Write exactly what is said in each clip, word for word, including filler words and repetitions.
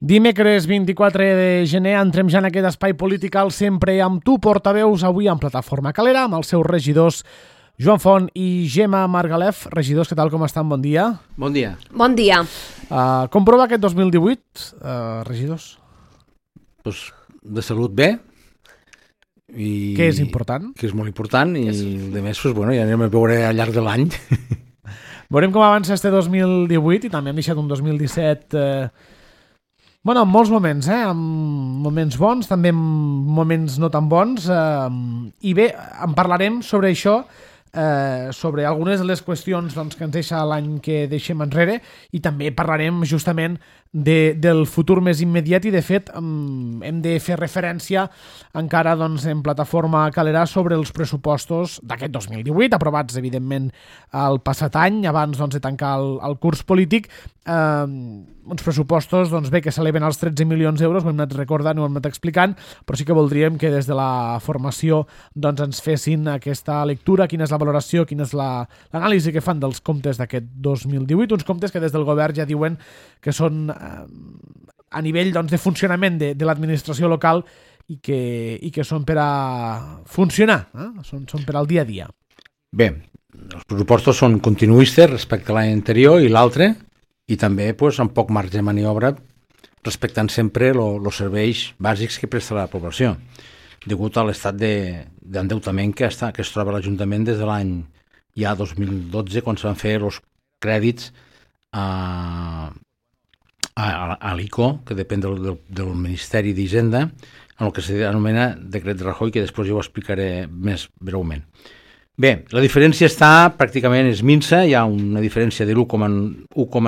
Dimecres vint-i-quatre de gener entrem ja en aquest espai polític al Sempre amb tu, portaveus, avui en Plataforma Calera, amb els seus regidors Joan Font i Gemma Margalef. Regidors, què tal, com estan? Bon dia. Bon dia. Bon dia. Uh, com prova aquest dos mil divuit, uh, regidors? Pues de salut bé. I que és important. Que és molt important i de més, pues, bueno, ja anem a veure al llarg de l'any. Veurem com avança este dos mil divuit i també hem deixat un dos mil disset... Eh, bueno, en molts moments, eh? En moments bons, també en moments no tan bons. Eh, I bé, en parlarem sobre això, eh, sobre algunes de les qüestions doncs, que ens deixa l'any que deixem enrere, i també parlarem justament de, del futur més immediat, i de fet hem de fer referència encara doncs, en Plataforma Calera sobre els pressupostos d'aquest dos mil divuit, aprovats evidentment el passat any, abans doncs, de tancar el, el curs polític. Eh, uns pressupostos doncs, bé, que s'eleven als tretze milions d'euros, ho hem anat recordant, ho hem anat explicant, però sí que voldríem que des de la formació doncs, ens fessin aquesta lectura, quina és la valoració, quina és la, l'anàlisi que fan dels comptes d'aquest dos mil divuit, uns comptes que des del govern ja diuen que són eh, a nivell doncs, de funcionament de, de l'administració local i que, i que són per a funcionar, eh? són, són per al dia a dia. Bé, els pressupostos són continuistes respecte a l'any anterior i l'altre, i també pues, amb poc marge de maniobra respectant sempre els serveis bàsics que presta la població, degut a l'estat d'endeutament que, està, que es troba l'Ajuntament des de l'any ja dos mil dotze, quan se van fer els crèdits a, a, a l'I C O, que depèn del, del, del Ministeri d'Hisenda, en el que s'anomena decret de Rajoy, que després jo ho explicaré més breument. Bé, la diferència està pràcticament és minsa, hi ha una diferència de l'u coma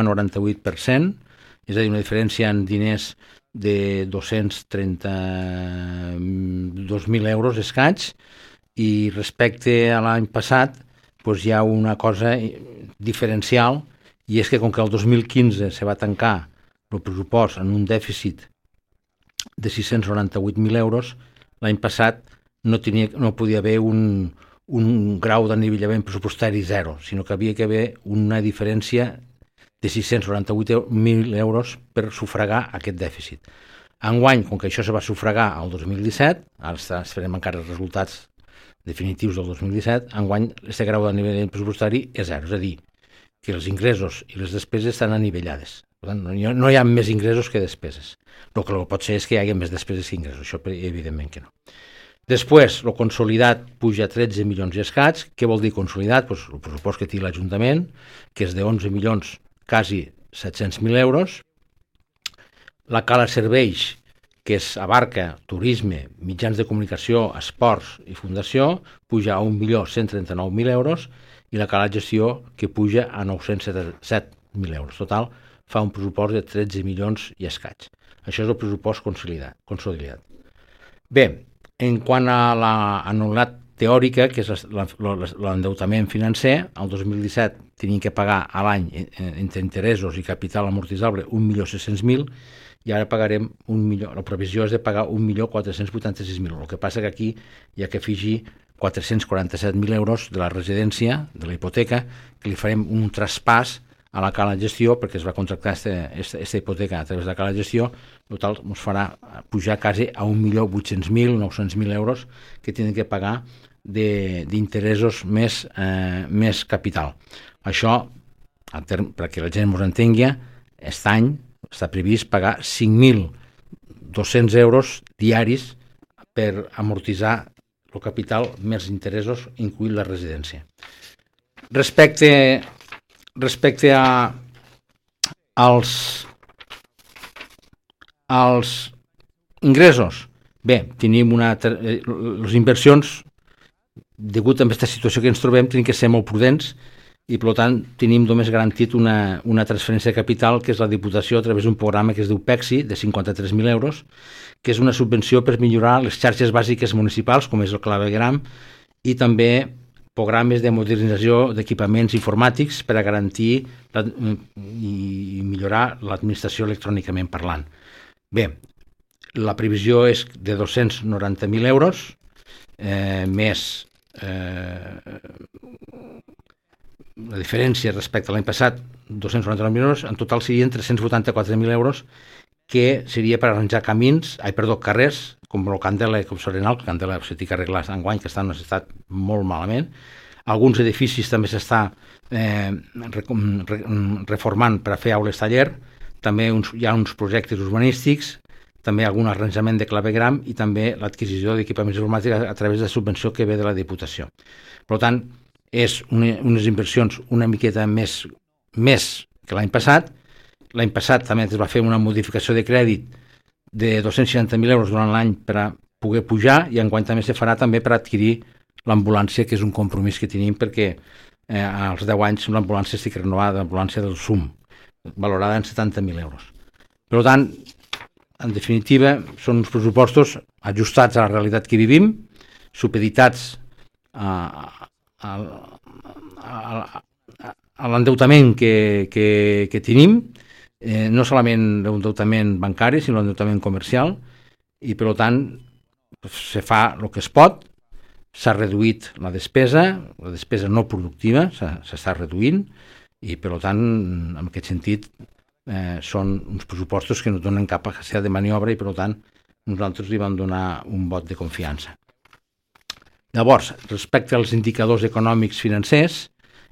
noranta-vuit per cent, és a dir, una diferència en diners de dos-cents trenta-dos mil euros escaig, i respecte a l'any passat doncs hi ha una cosa diferencial, i és que com que el dos mil quinze se va tancar el pressupost en un dèficit de sis-cents noranta-vuit mil euros, l'any passat no, tenia, no podia haver un, un grau d'anivellament pressupostari zero, sinó que havia que haver una diferència de sis-cents noranta-vuit mil euros per sufragar aquest dèficit. Enguany, com que això se va sufragar el dos mil disset, ara esperem encara els resultats definitius del dos mil disset, enguany aquest grau d'anivellament pressupostari és zero, és a dir, que els ingressos i les despeses estan anivellades. Per tant, no hi ha, no hi ha més ingressos que despeses. El que pot ser és que hi hagi més despeses que ingressos, això evidentment que no. Després, el consolidat puja a tretze milions i escaig. Què vol dir consolidat? Pues, el pressupost que té l'Ajuntament, que és de onze milions, quasi set-cents mil euros. La cala serveis, que es abarca turisme, mitjans de comunicació, esports i fundació, puja a un milió cent trenta-nou mil euros, i la cala gestió, que puja a nou-cents set mil euros. Total, fa un pressupost de tretze milions i escaig. Això és el pressupost consolidat. consolidat. Bé, en quant a l'anualitat teòrica, que és l'endeutament financer, el dos mil disset tenien que pagar a l'any entre interessos i capital amortitzable un milió sis-cents mil, i ara pagarem un milió, la previsió és de pagar un milió quatre-cents vuitanta-sis mil. El que passa que aquí hi ha que afegir quatre-cents quaranta-set mil euros de la residència, de la hipoteca, que li farem un traspàs a la cala gestió, perquè es va contractar aquesta hipoteca a través de la cala gestió, total ens farà pujar quasi a un milió vuit-cents mil, nou-cents mil euros que tenen que pagar d'interessos més, eh, més capital. Això, perquè la gent ens entengui, aquest any està previst pagar cinc mil dos-cents euros diaris per amortitzar el capital més interessos, incluït la residència. Respecte, respecte a, als, als ingressos, bé, tenim una, les inversions, degut a aquesta situació que ens trobem, tenim que ser molt prudents, i per tant tenim només garantit una, una transferència de capital, que és la Diputació, a través d'un programa que es diu PEXI, de cinquanta-tres mil euros, que és una subvenció per millorar les xarxes bàsiques municipals, com és el clavegram, i també programes de modernització d'equipaments informàtics per a garantir la, i millorar l'administració electrònicament parlant. Bé, la previsió és de dos-cents noranta mil euros, eh, més eh, la diferència respecte a l'any passat, dos-cents noranta-nou mil euros, en total serien tres-cents vuitanta-quatre mil euros, que seria per arranjar camins, ai, perdó, carrers, com el Candela i com Sorenal, el Candela s'ha d'arreglar enguany, que està en un estat molt malament. Alguns edificis també s'està eh, reformant per a fer aules taller, també uns, hi ha uns projectes urbanístics, també algun arranjament de clavegram i també l'adquisició d'equipaments informàtics a través de subvenció que ve de la Diputació. Per tant, és una, unes inversions una miqueta més, més que l'any passat. L'any passat també es va fer una modificació de crèdit de dos-cents seixanta mil euros durant l'any per a poder pujar i enguany també se farà també per adquirir l'ambulància, que és un compromís que tenim perquè eh, als deu anys l'ambulància estic renovada, l'ambulància del S U M, valorada en setanta mil euros. Per tant, en definitiva, són uns pressupostos ajustats a la realitat que vivim, supeditats a, a, a, a, a l'endeutament que, que, que tenim, eh, no solament l'endeutament bancari, sinó l'endeutament comercial, i per tant se fa el que es pot, s'ha reduït la despesa, la despesa no productiva s'està reduint, i per tant, en aquest sentit, Eh, són uns pressupostos que no donen cap capacitat de maniobra i per tant nosaltres li vam donar un vot de confiança. Llavors, respecte als indicadors econòmics financers,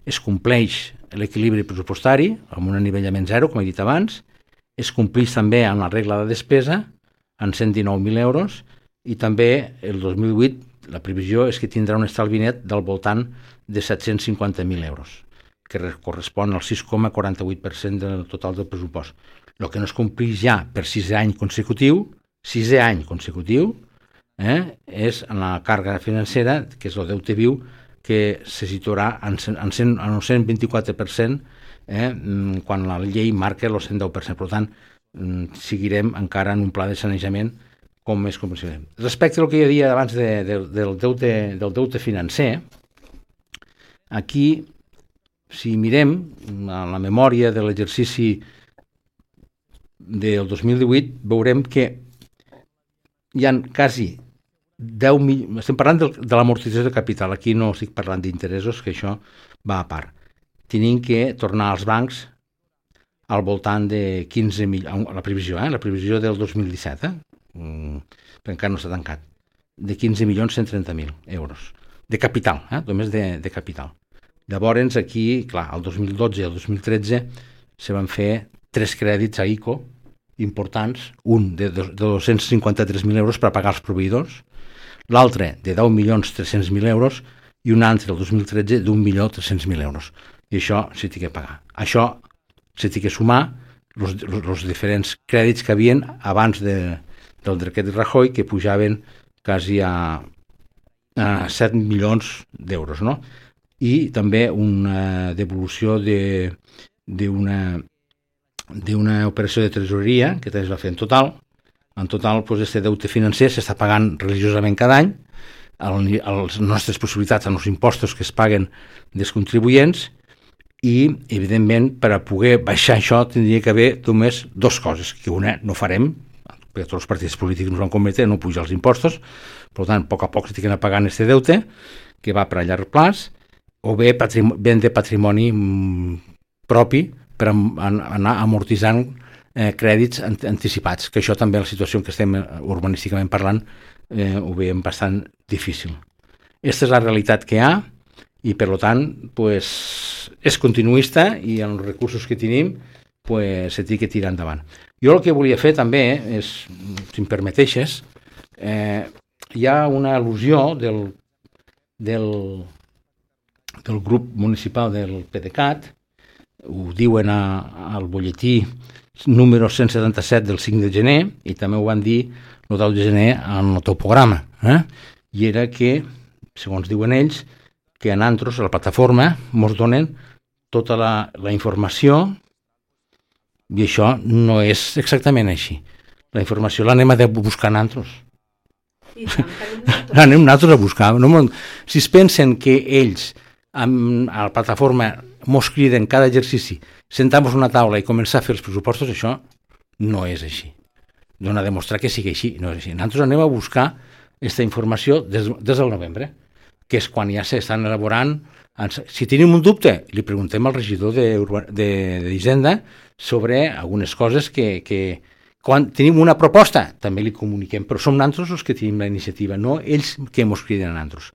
es compleix l'equilibri pressupostari amb un anivellament zero, com he dit abans, es compleix també amb la regla de despesa en cent dinou mil euros i també el dos mil vuit la previsió és que tindrà un estalvi net del voltant de set-cents cinquanta mil euros, que correspon al sis coma quaranta-vuit per cent del total del pressupost. El que no es compleix ja per sisè any consecutiu, sisè any consecutiu, eh, és en la càrrega financera, que és el deute viu, que se situarà en, en, cent, en un cent vint-i-quatre per cent eh, quan la llei marca el cent deu per cent. Per tant, seguirem encara en un pla de sanejament com més comprensible. Respecte al que hi havia abans de, de, del, deute, del deute financer, aquí si mirem a la memòria de l'exercici del dos mil divuit, veurem que hi ha quasi deu mil... Estem parlant de, de l'amortització de capital, aquí no estic parlant d'interessos, que això va a part. Tenim que tornar als bancs al voltant de quinze milions, la previsió, eh? la previsió del dos mil disset, eh? mm, perquè encara no s'ha tancat, de quinze milions cent trenta mil euros, de capital, eh? només de, de capital. Llavors, aquí, clar, el dos mil dotze i el dos mil tretze se van fer tres crèdits a I C O importants, un de, de dos-cents cinquanta-tres mil euros per pagar els proveïdors, l'altre de deu milions tres-cents mil euros i un altre, el dos mil tretze, d'un milió tres-cents mil euros. I això s'hi té que pagar. Això s'hi té que sumar els diferents crèdits que havien abans de, del decret Rajoy, que pujaven quasi a, a set milions d'euros, no? I també una devolució d'una d'una operació de tresoreria que també es va fer en total. En total, doncs, aquest deute financer s'està pagant religiosament cada any, les nostres possibilitats amb els impostos que es paguen dels contribuents i, evidentment, per a poder baixar això tindria que haver només dues coses, que una no farem, perquè tots els partits polítics ens van commetre no pujar els impostos, per tant, a poc a poc s'ha d'anar pagant aquest deute, que va per a llarg plaç, o bé vendre patrimoni propi per anar amortitzant eh, crèdits anticipats, que això també la situació en què estem urbanísticament parlant eh, ho veiem bastant difícil. Aquesta és la realitat que hi ha i per tant pues, és continuista i amb els recursos que tenim pues, se té que tirar endavant. Jo el que volia fer també és, si em permeteixes, eh, hi ha una al·lusió del, del del grup municipal del PDeCAT, ho diuen a, al butlletí número cent setanta-set del cinc de gener i també ho van dir el deu de gener en el topograma, eh? I era que, segons diuen ells, que a nosaltres, a la plataforma, ens donen tota la, la informació i això no és exactament així. La informació l'anem a buscar nosaltres. L'anem nosaltres a buscar. No, si es pensen que ells amb, a la plataforma mos criden cada exercici, sentam-nos a una taula i començar a fer els pressupostos, això no és així. Dona a demostrar que sigui així, no és així. Nosaltres anem a buscar aquesta informació des, des del novembre, que és quan ja s'estan elaborant. Si tenim un dubte, li preguntem al regidor d'Hisenda sobre algunes coses que, que, quan tenim una proposta, també li comuniquem, però som nosaltres els que tenim la iniciativa, no ells que ens criden a nosaltres.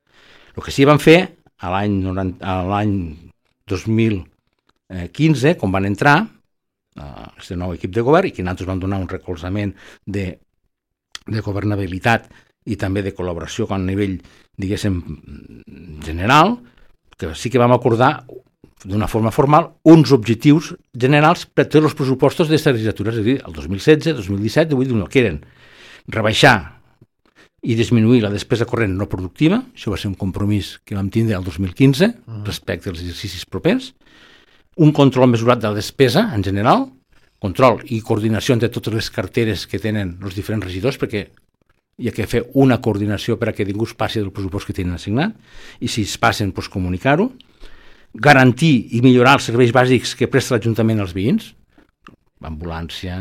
El que sí van fer a l'any, a l'any dos mil quinze, quan van entrar, aquest nou equip de govern, i que nosaltres vam donar un recolzament de, de governabilitat i també de col·laboració a nivell, diguéssim, general, que sí que vam acordar d'una forma formal uns objectius generals per tots els pressupostos d'aquesta legislatura, és a dir, el dos mil setze, dos mil disset, divuit, que eren rebaixar i disminuir la despesa corrent no productiva, això va ser un compromís que vam tindre el dos mil quinze respecte als exercicis propers, un control mesurat de la despesa en general, control i coordinació entre totes les carteres que tenen els diferents regidors, perquè hi ha que fer una coordinació per a que ningú es passi del pressupost que tenen assignat, i si es passen, doncs comunicar-ho, garantir i millorar els serveis bàsics que presta l'Ajuntament als veïns, l'ambulància,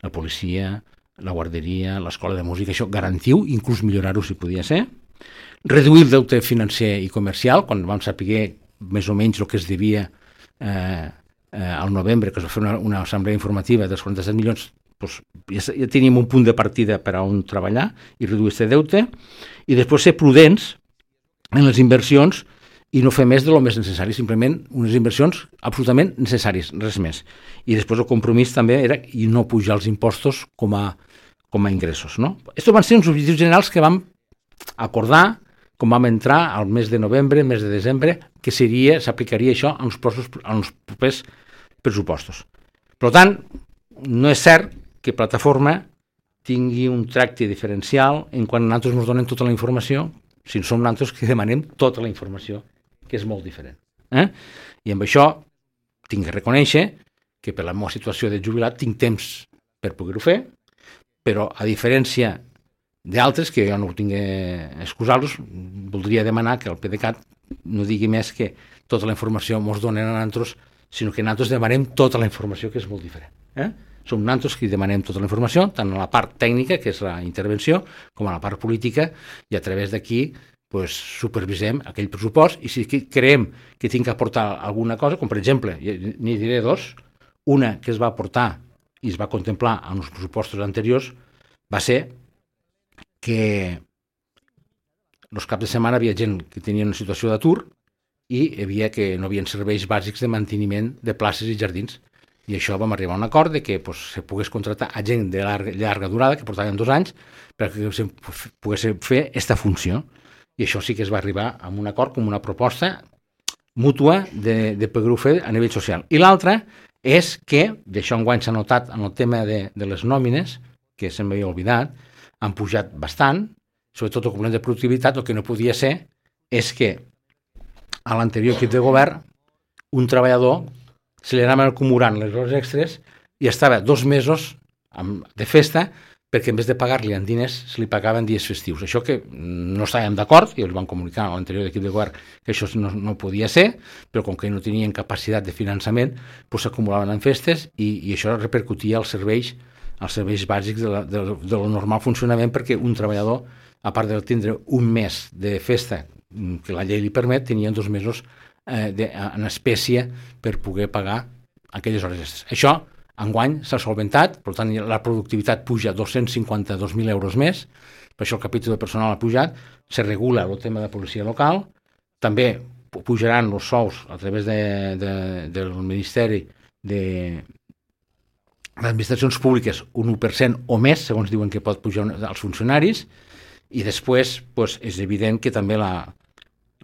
la policia, la guarderia, l'escola de música, això garantiu, inclús millorar-ho si podia ser, reduir el deute financer i comercial, quan vam saber més o menys el que es devia eh, eh, al novembre, que es va fer una, una assemblea informativa dels quaranta-set milions, doncs ja, ja teníem un punt de partida per a on treballar i reduir aquest deute, i després ser prudents en les inversions i no fer més de lo més necessari, simplement unes inversions absolutament necessàries, res més. I després el compromís també era i no pujar els impostos com a, com a ingressos. No? Estos van ser uns objectius generals que vam acordar quan vam entrar al mes de novembre, mes de desembre, que seria, s'aplicaria això als propers pressupostos. Per tant, no és cert que Plataforma tingui un tracte diferencial en quan nosaltres ens donen tota la informació, si som nosaltres que demanem tota la informació, que és molt diferent. Eh? I amb això tinc que reconèixer que per la meva situació de jubilat tinc temps per poder-ho fer, però a diferència d'altres, que jo no ho tinc que excusar-los, voldria demanar que el PDeCAT no digui més que tota la informació ens donen a nosaltres, sinó que nosaltres demanem tota la informació, que és molt diferent. Eh? Som nosaltres qui demanem tota la informació, tant a la part tècnica, que és la intervenció, com a la part política, i a través d'aquí pues, supervisem aquell pressupost, i si creiem que tinc que aportar alguna cosa, com per exemple, n'hi diré dos, una que es va aportar i es va contemplar en els pressupostos anteriors, va ser que els caps de setmana hi havia gent que tenia una situació d'atur i hi havia que no hi havia serveis bàsics de manteniment de places i jardins. I això vam arribar a un acord de que pues, se pogués contractar a gent de llarga, llarga durada, que portaven dos anys, perquè se pogués fer aquesta funció. I això sí que es va arribar a un acord com una proposta mútua de, de poder-ho fer a nivell social. I l'altra és que, i això enguany s'ha notat en el tema de, de les nòmines, que se'm havia oblidat, han pujat bastant, sobretot el complement de productivitat. El que no podia ser és que a l'anterior equip de govern un treballador se li anaven acumulant les hores extres i estava dos mesos de festa perquè en vez de pagar-li en diners se li pagaven dies festius. Això que no estàvem d'acord, i els van comunicar a l'anterior equip de govern que això no, no podia ser, però com que no tenien capacitat de finançament, doncs s'acumulaven en festes i, i això repercutia als serveis, als serveis bàsics de, la, de, de lo normal funcionament, perquè un treballador, a part de tindre un mes de festa que la llei li permet, tenien dos mesos eh, de, en espècie per poder pagar aquelles hores extres. Això enguany s'ha solventat, per tant la productivitat puja dos-cents cinquanta-dos mil euros més, per això el capítol de personal ha pujat, se regula el tema de policia local, també pujaran els sous a través de, de, del Ministeri de les administracions públiques un u per cent o més, segons diuen que pot pujar als funcionaris, i després pues, és evident que també la,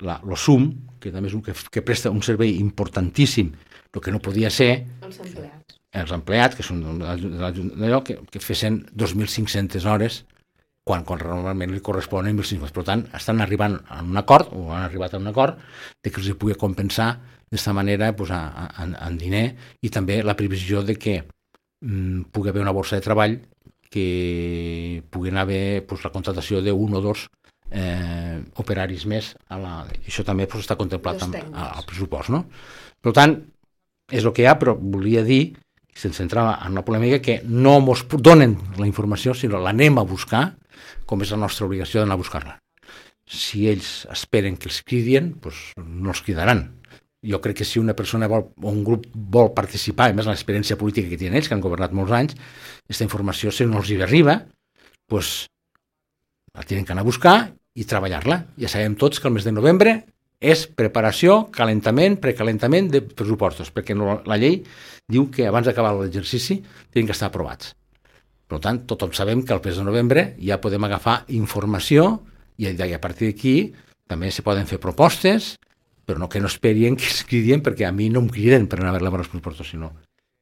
la, lo S U M, que també és un que, que presta un servei importantíssim, el que no podia ser els empleats, els empleats que són d'allò que, que fessin dos mil cinc-centes hores quan, quan normalment li corresponen mil cinc-cents. Per tant, estan arribant a un acord, o han arribat a un acord, de que els pugui compensar d'aquesta manera pues, en, en diner, i també la previsió de que mm, pugui haver una borsa de treball, que pugui haver pues, la contratació d'un o dos eh, operaris més. A la... Això també pues, està contemplat amb, al pressupost. No? Per tant, és el que hi ha, però volia dir, sense entrar en una polèmica, que no ens donen la informació, sinó l'anem a buscar, com és la nostra obligació d'anar a buscar-la. Si ells esperen que els cridien, doncs no els cridaran. jo crec que si una persona vol, o un grup vol participar, a més l'experiència política que tenen ells, que han governat molts anys, aquesta informació, si no els hi arriba, doncs la tenen que anar a buscar i treballar-la. Ja sabem tots que el mes de novembre és preparació, calentament, precalentament de pressupostos, perquè la llei diu que abans d'acabar l'exercici tenen que estar aprovats. Per tant, tothom sabem que al mes de novembre ja podem agafar informació i a partir d'aquí també se poden fer propostes, però no que no esperien que es cridien, perquè a mi no em criden per anar a veure els pressupostos, sinó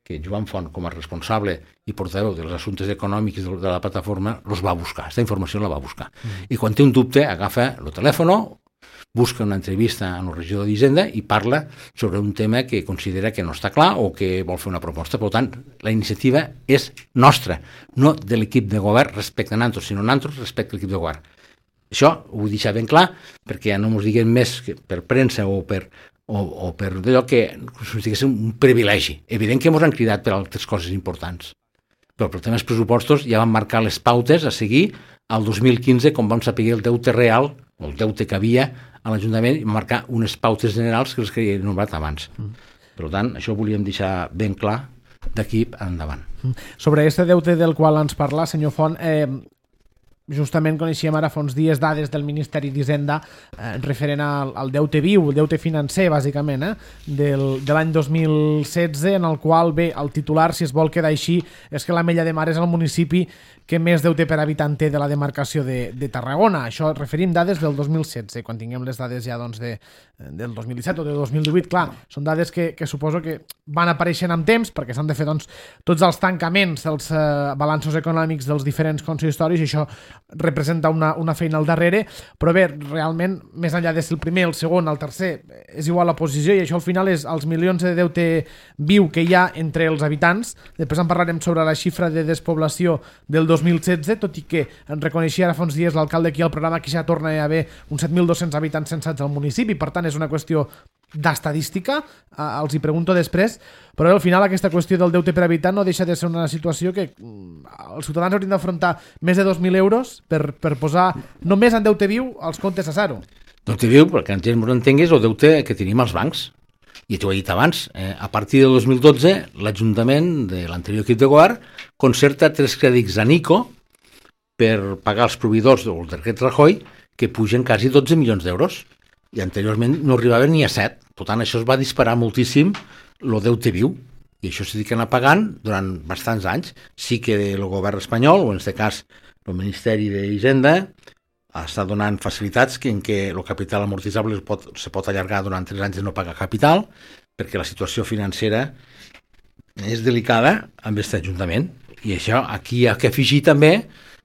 que Joan Font, com a responsable i portaveu dels assumptes econòmics de la plataforma, els va buscar, aquesta informació la va buscar. Mm. I quan té un dubte, agafa el telèfon, busca una entrevista amb el regidor d'Hisenda i parla sobre un tema que considera que no està clar o que vol fer una proposta. Per tant, la iniciativa és nostra, no de l'equip de govern respecte a nosaltres, sinó nosaltres respecte a l'equip de govern. Això ho vull deixar ben clar, perquè ja no ens diguem més que per premsa o per, o, o per allò que ens diguéssim un privilegi. Evident que ens han cridat per altres coses importants, però per temes pressupostos ja van marcar les pautes a seguir al dos mil quinze, com vam saber el deute real, o el deute que havia a l'Ajuntament, i marcar unes pautes generals que els que he nombrat abans. Mm. Per tant, això ho volíem deixar ben clar d'aquí endavant. Sobre aquest deute del qual ens parla, senyor Font, eh, justament coneixíem ara fa uns dies dades del Ministeri d'Hisenda eh, referent al, al deute viu, el deute financer, bàsicament, eh, del, de l'any dos mil setze, en el qual, bé, el titular, si es vol quedar així, és que l'Ametlla de Mar és el municipi que més deute per habitant té de la demarcació de, de Tarragona. Això referim dades del dos mil setze, quan tinguem les dades ja doncs, de, del dos mil disset o del dos mil divuit. Clar, són dades que, que suposo que van apareixent amb temps, perquè s'han de fer doncs, tots els tancaments dels eh, balanços econòmics dels diferents consistoris, i això representa una, una feina al darrere, però bé, realment, més enllà de ser el primer, el segon, el tercer, és igual la posició, i això al final és els milions de deute viu que hi ha entre els habitants. Després en parlarem sobre la xifra de despoblació del dos mil setze, tot i que en reconeixia ara fa uns dies l'alcalde aquí al programa que ja torna a haver uns set mil dos-cents habitants censats al municipi, per tant és una qüestió d'estadística, eh, els hi pregunto després, però al final aquesta qüestió del deute per habitant no deixa de ser una situació que els ciutadans haurien d'afrontar més de dos mil euros per, per posar només en deute viu els comptes a zero. Deute viu, perquè la gent no entengui, és el deute que tenim als bancs. I t'ho he dit abans, eh, a partir del dos mil dotze l'Ajuntament de l'anterior equip de govern concerta tres crèdits a Nico per pagar els proveïdors del decret Rajoy, que pugen quasi dotze milions d'euros, i anteriorment no arribaven ni a set. Per tant, això es va disparar moltíssim el deute viu, i això s'ha d'anar pagant durant bastants anys. Sí que el govern espanyol, o en aquest cas el Ministeri d'Hisenda, està donant facilitats que en què el capital amortitzable es pot, se pot allargar durant tres anys de no pagar capital, perquè la situació financera és delicada amb aquest Ajuntament. I això aquí hi ha que afegir també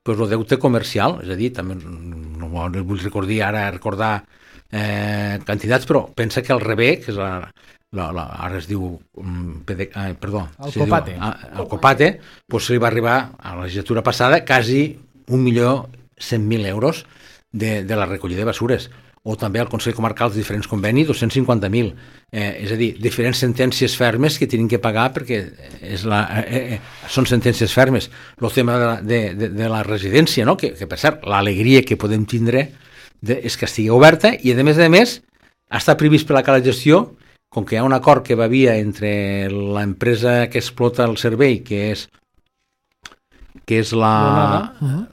pues, el deute comercial, és a dir, també no, no vull recordar ara recordar eh, quantitats, però pensa que el Rebé, que és la, la, la, ara es diu um, pede, eh, perdó, el Copate, diu, ah, el Copate, pues, se li va arribar a la legislatura passada quasi un milió cent mil euros de, de la recollida de basures, o també al Consell Comarcal de diferents convenis, dos-cents cinquanta mil. Eh, és a dir, diferents sentències fermes que tenen que pagar perquè és la, eh, eh, són sentències fermes. El tema de la, de, de, de la residència, no? que, que per cert, l'alegria que podem tindre de, és que estigui oberta, i a més a més està previst per la cala gestió, com que hi ha un acord que va via entre l'empresa que explota el servei, que és que és la... Uh-huh.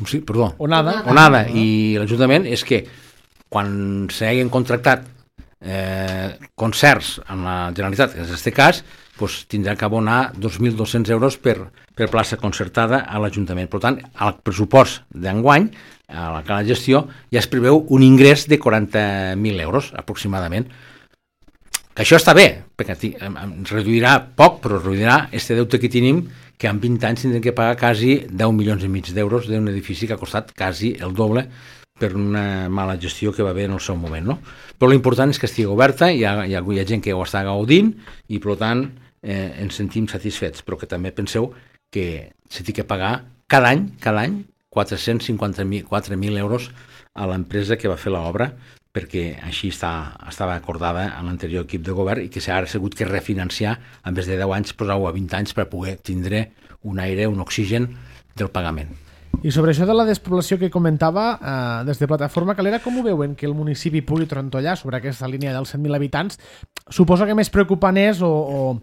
Sí, perdó, Onada, Onada i l'Ajuntament, és que quan s'hagin contractat eh, concerts amb la Generalitat, en aquest cas, pues, tindrà que abonar dos mil dos-cents euros per, per plaça concertada a l'Ajuntament. Per tant, al pressupost d'enguany, a la cala gestió, ja es preveu un ingrés de quaranta mil euros, aproximadament. Que això està bé, perquè ens reduirà poc, però reduirà aquest deute que tenim, que en vint anys tindrem que pagar quasi deu milions i mig d'euros d'un edifici que ha costat quasi el doble per una mala gestió que va haver en el seu moment. No? Però l'important és que estigui oberta, hi ha, hi ha, hi ha gent que ho està gaudint i per tant eh, ens sentim satisfets, però que també penseu que s'ha de pagar cada any, cada any quatre-cents cinquanta-quatre mil euros a l'empresa que va fer l'obra, perquè així està, estava acordada en l'anterior equip de govern i que s'ha hagut que refinanciar en vez de deu anys, posar-ho a vint anys per poder tindre un aire, un oxigen del pagament. I sobre això de la despoblació que comentava, eh, des de Plataforma Calera, com ho veuen que el municipi pugui trontollar sobre aquesta línia dels cent mil habitants? Suposo que més preocupant és, o, o,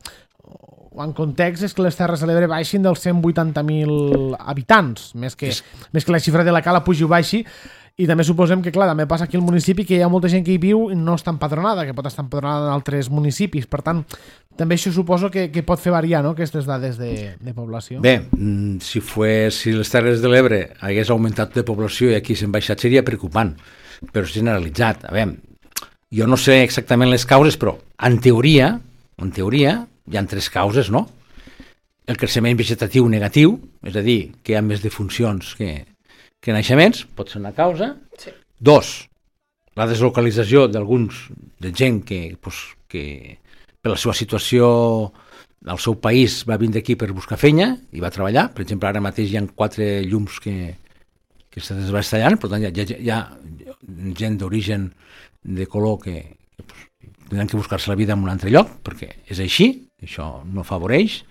o en context, és que les Terres de l'Ebre baixin dels cent vuitanta mil habitants, més que, més que la xifra de la Cala pugi o baixi. I també suposem que, clar, també passa aquí al municipi que hi ha molta gent que hi viu i no està empadronada, que pot estar empadronada en altres municipis. Per tant, també això suposo que, que pot fer variar, no?, aquestes dades de, de població. Bé, si, fue, si les Terres de l'Ebre hagués augmentat de població i aquí s'han baixat seria preocupant, però és generalitzat. A veure, jo no sé exactament les causes, però en teoria, en teoria hi ha tres causes, no? El creixement vegetatiu negatiu, és a dir, que hi ha més defuncions que... que naixements, pot ser una causa. Sí. Dos, la deslocalització d'alguns, de gent que, pues, que per la seva situació al seu país va vindre aquí per buscar feina i va treballar. Per exemple, ara mateix hi ha quatre llums que, que se desbastallant, per tant hi ha, hi ha gent d'origen de color que, que pues, tindran que buscar-se la vida en un altre lloc, perquè és així, això no afavoreix.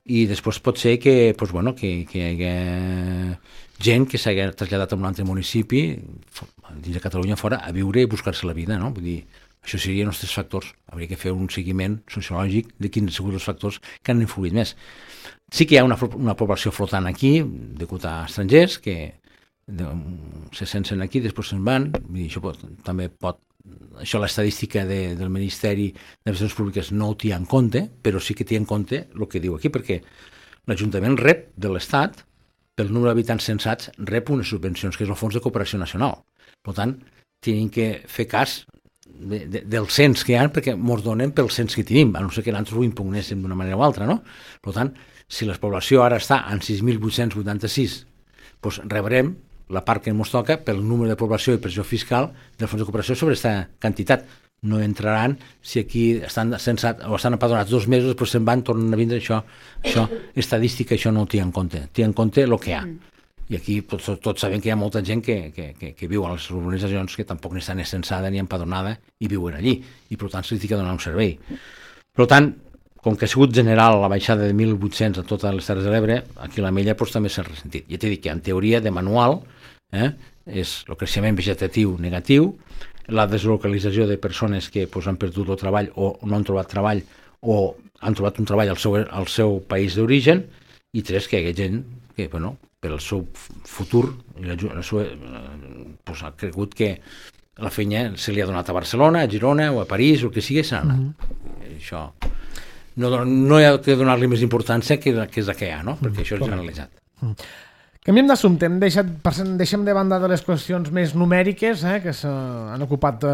I després pot ser que, pues, bueno, que, que hi hagi gent que s'hagi traslladat a un altre municipi dins de Catalunya fora a viure i buscar-se la vida, no? Vull dir, això serien els tres factors. Hauria que fer un seguiment sociològic de quins han sigut els factors que han influït més. Sí que hi ha una, una població flotant aquí, degut a estrangers, que de, se sensen aquí, després se'n van. Vull dir, això pot, també pot... Això l'estadística de, del Ministeri d'Administracions Públiques no ho té en compte, però sí que té en compte el que diu aquí, perquè l'Ajuntament rep de l'Estat, pel número d'habitants censats, rep unes subvencions, que és el Fons de Cooperació Nacional. Per tant, tenim que fer cas de, de, del cens que hi ha, perquè ens donen pel cens que tenim, a no ser que nosaltres ho impugnéssim d'una manera o altra, no? Per tant, si la població ara està en sis mil vuit-cents vuitanta-sis, doncs rebrem la part que ens toca pel número de població i pressió fiscal del Fons de Cooperació sobre aquesta quantitat. No entraran si aquí estan censats o estan empadronats dos mesos, després se'n van, tornen a vindre. Això, això estadística, això no ho té en compte. Té en compte el que hi ha. I aquí tots, tots sabem que hi ha molta gent que, que, que, que viu a les urbanitzacions que tampoc ni estan censada ni empadronada i viuen allí. I per tant se li té que donar un servei. Per tant, com que ha sigut general la baixada de mil vuit-cents a totes les Terres de l'Ebre, aquí a la Mella doncs, també s'ha ressentit. Ja t'he dit que en teoria de manual eh, és el creixement vegetatiu negatiu, la deslocalització de persones que pues, han perdut el treball o no han trobat treball o han trobat un treball al seu, al seu país d'origen, i tres, que hi ha gent que, bueno, per al seu futur la, la seva, pues, ha cregut que la feina se li ha donat a Barcelona, a Girona o a París o el que sigui, s'ha anat. Mm-hmm. Això no, no hi ha que donar-li més importància que, que és la que hi ha, no? Perquè això és generalitzat. Mm. Canviem d'assumpte, hem deixat, deixem de banda de les qüestions més numèriques eh, que s'han ocupat eh,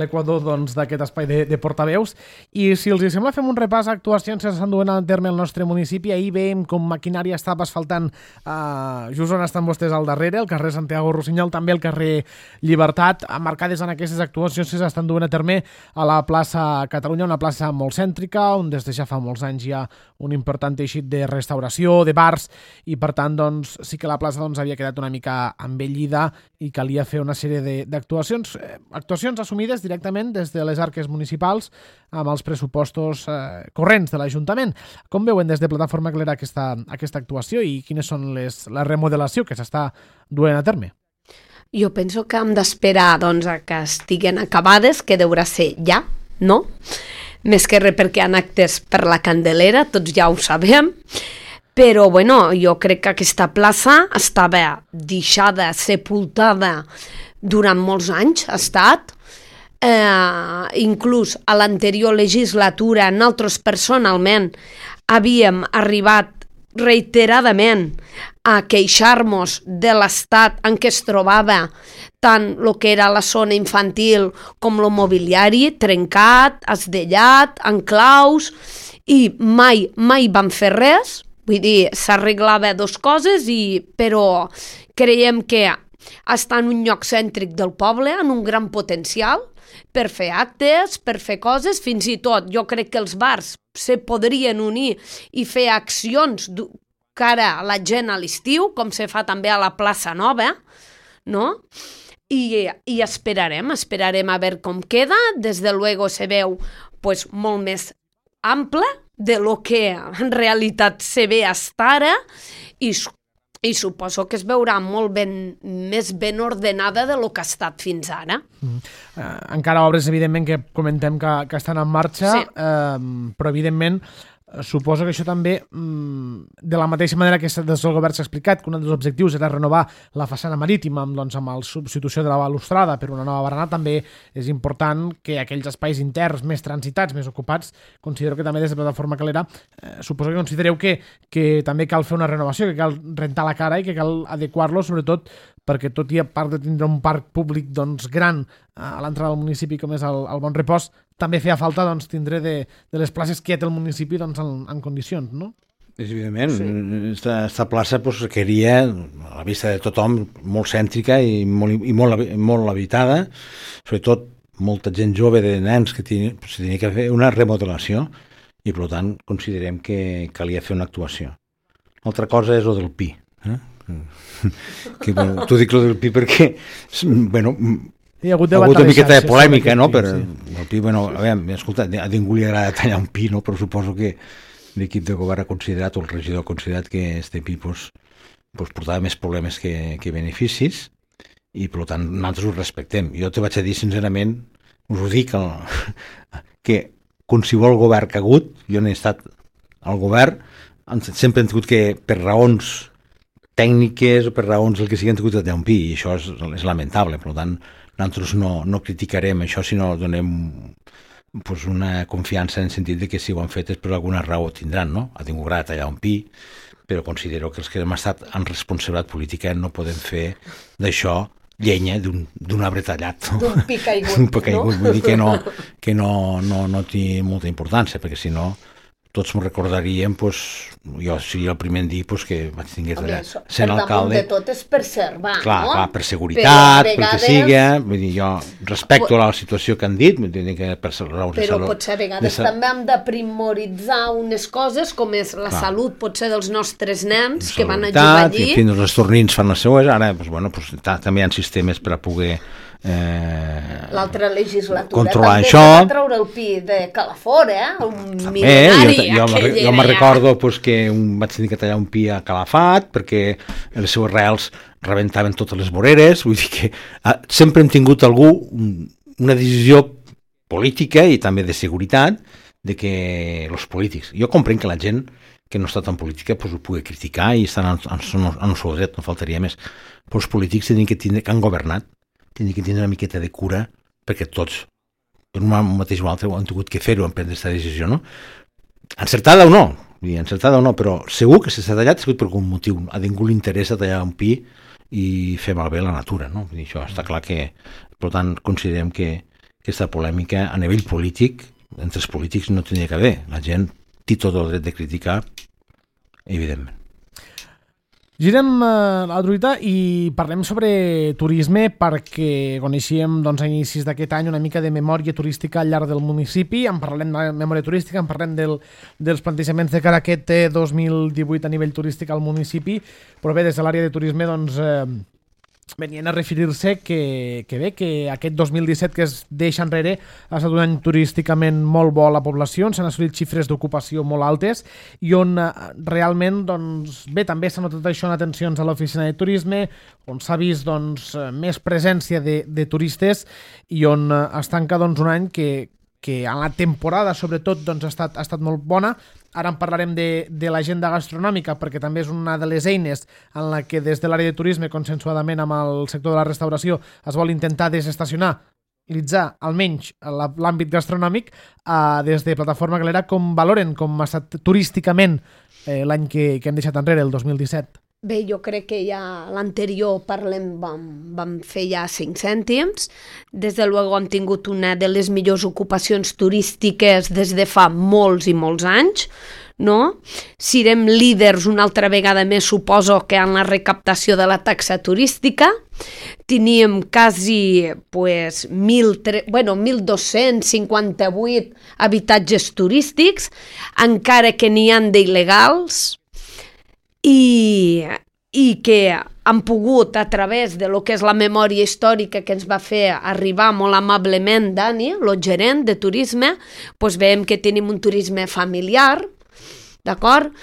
l'Equador doncs, d'aquest espai de, de portaveus, i si els sembla fem un repàs a actuacions que s'estan duent a terme al nostre municipi. Ahir veiem com maquinària estava asfaltant eh, just on estan vostès al darrere, el carrer Santiago Rossinyol, també el carrer Llibertat, marcades en aquestes actuacions que s'estan duent a terme a la plaça Catalunya, una plaça molt cèntrica, on des de ja fa molts anys hi ha un important teixit de restauració, de bars, i per tant doncs, sí que la plaça doncs, havia quedat una mica envellida i calia fer una sèrie d'actuacions, eh, actuacions assumides directament des de les arques municipals amb els pressupostos eh, corrents de l'Ajuntament. Com veuen des de Plataforma Calera aquesta, aquesta actuació i quines són les, la remodelació que s'està duent a terme? Jo penso que hem d'esperar doncs, a que estiguen acabades, que deurà ser ja, no? Més que res perquè hi ha actes per la Candelera, tots ja ho sabem. Però, bueno, jo crec que aquesta plaça estava deixada, sepultada durant molts anys, ha estat. Eh, inclús a l'anterior legislatura, nosaltres personalment havíem arribat reiteradament a queixar-nos de l'estat en què es trobava tant el que era la zona infantil com el mobiliari, trencat, esdellat, en claus, i mai, mai van fer res. Vull dir, s'arreglava dos coses, i, però creiem que està en un lloc cèntric del poble, en un gran potencial, per fer actes, per fer coses, fins i tot jo crec que els bars se podrien unir i fer accions cara a la gent a l'estiu, com se fa també a la plaça Nova, no? I, i esperarem, esperarem a veure com queda. Des de luego se veu pues, molt més ample de lo que en realitat se ve hasta ara, i i suposo que es veurà molt ben, més ben ordenada de lo que ha estat fins ara. Mm. Uh, encara obres, evidentment, que comentem que, que estan en marxa, sí. uh, però, evidentment, suposo que això també, de la mateixa manera que des del govern s'ha explicat que un dels objectius era renovar la façana marítima amb, doncs, amb la substitució de la balustrada per una nova barana, també és important que aquells espais interns més transitats, més ocupats, considero que també des de Plataforma Calera eh, suposo que considereu que, que també cal fer una renovació, que cal rentar la cara i que cal adequar-lo, sobretot perquè tot i a part de tindre un parc públic doncs, gran a l'entrada del municipi com és el, el Bon Repòs, també feia falta doncs, tindre de, de les places que ja té el municipi doncs, en, en condicions, no? És evident, sí. Esta, esta plaça pues, requeria, a la vista de tothom, molt cèntrica i molt, i molt, molt habitada, sobretot molta gent jove de nens que tenia, pues, tenia que fer una remodelació i per tant considerem que calia fer una actuació. L'altra cosa és el del Pi, eh? que, bueno, t'ho dic el del Pi perquè bueno, hi ha hagut, ha hagut una miqueta de polèmica, no? Pi, Per, sí. El Pi, bueno, a veure, escolta, a ningú li agrada tallar un pi, no? Però suposo que l'equip de govern ha considerat, o el regidor ha considerat que este pi pues, pues, portava més problemes que, que beneficis i per tant nosaltres ho respectem. Jo te vaig a dir sincerament, us ho dic, el, que qualsevol govern que ha hagut, jo n'he estat al govern, sempre hem tingut que per raons tècniques o per raons el que sigui han tingut de tallar un pi i això és, és lamentable, per tant nosaltres no, no criticarem això, sinó donem pues, una confiança en el sentit de que si ho han fet és per alguna raó tindran, no? Ha tingut grat tallar un pi, però considero que els que hem estat en responsabilitat política no podem fer d'això llenya d'un arbre tallat. No? D'un pi caigut, d'un pi caigut, no? Vull dir que no, que no, no, no té molta importància, perquè si no tots m'ho recordaríem, pues, jo seria el primer en dir pues, que vaig tinguer allà sent alcalde. Per damunt de tot és preservar, clar, no? Clar, per seguretat, vegades... pel que sigui, vull dir, jo respecto la situació que han dit, vull dir que per raons de però salut... potser a vegades sa... també hem de primoritzar unes coses, com és la clar. Salut, potser dels nostres nens que van a jugar allí. I fins els tornins fan les seues, ara pues, bueno, pues, també hi ha sistemes per a poder... Eh, l'altra legislatura controlar també això. Va treure el pi de Calafort, eh? Un també, mil·lenari. Jo, jo, jo me recordo pues, que un, vaig tenir que tallar un pi a Calafat perquè les seues reals rebentaven totes les voreres, vull dir que eh, sempre hem tingut algú una decisió política i també de seguretat de que els polítics, jo comprenc que la gent que no està tan política pues, ho pugui criticar i estan en, en, en el seu dret, no faltaria més, però els polítics tenen que, tindre, que han governat tindre que tindre una miqueta de cura perquè tots, per un mateix o altre, han tingut que fer-ho, en prendre aquesta decisió, no? Encertada o no, encertada o no, però segur que si s'ha tallat ha sigut per algun motiu. A ningú li interessa tallar un pi i fer malbé la natura, no? Vull dir, això està clar que, per tant, considerem que aquesta polèmica a nivell polític, entre els polítics no tenia que haver. La gent té tot el dret de criticar, evidentment. Girem eh, la druita i parlem sobre turisme perquè coneixíem doncs, a inicis d'aquest any una mica de memòria turística al llarg del municipi. En parlem de memòria turística, en parlem del, dels plantejaments de cara a aquest eh, dos mil divuit a nivell turístic al municipi, però bé, des de l'àrea de turisme doncs, eh, venien a referir-se que, que bé, que aquest dos mil disset que es deixa enrere ha estat un any turísticament molt bo a la població, on s'han assolit xifres d'ocupació molt altes i on eh, realment, doncs, bé, també s'ha notat això en atencions a l'oficina de turisme, on s'ha vist doncs, més presència de, de turistes i on eh, es tanca doncs, un any que, que en la temporada, sobretot, doncs, ha, estat, ha estat molt bona. Ara en parlarem de, de l'agenda gastronòmica perquè també és una de les eines en la que des de l'àrea de turisme, consensuadament amb el sector de la restauració, es vol intentar desestacionalitzar almenys l'àmbit gastronòmic. Eh, des de Plataforma Calera, com valoren com ha estat turísticament eh, l'any que, que hem deixat enrere, el dos mil disset? Bé, jo crec que ja l'anterior parlem, vam, vam fer ja cinc cèntims. Des de luego hem tingut una de les millors ocupacions turístiques des de fa molts i molts anys, no? Serem líders una altra vegada més, suposo, que en la recaptació de la taxa turística. Teníem quasi pues, mil, bueno, mil dos-cents cinquanta-vuit habitatges turístics, encara que n'hi han d'il·legals, I, i que han pogut, a través de lo que és la memòria històrica que ens va fer arribar molt amablement Dani, el gerent de turisme, doncs veiem que tenim un turisme familiar, d'acord?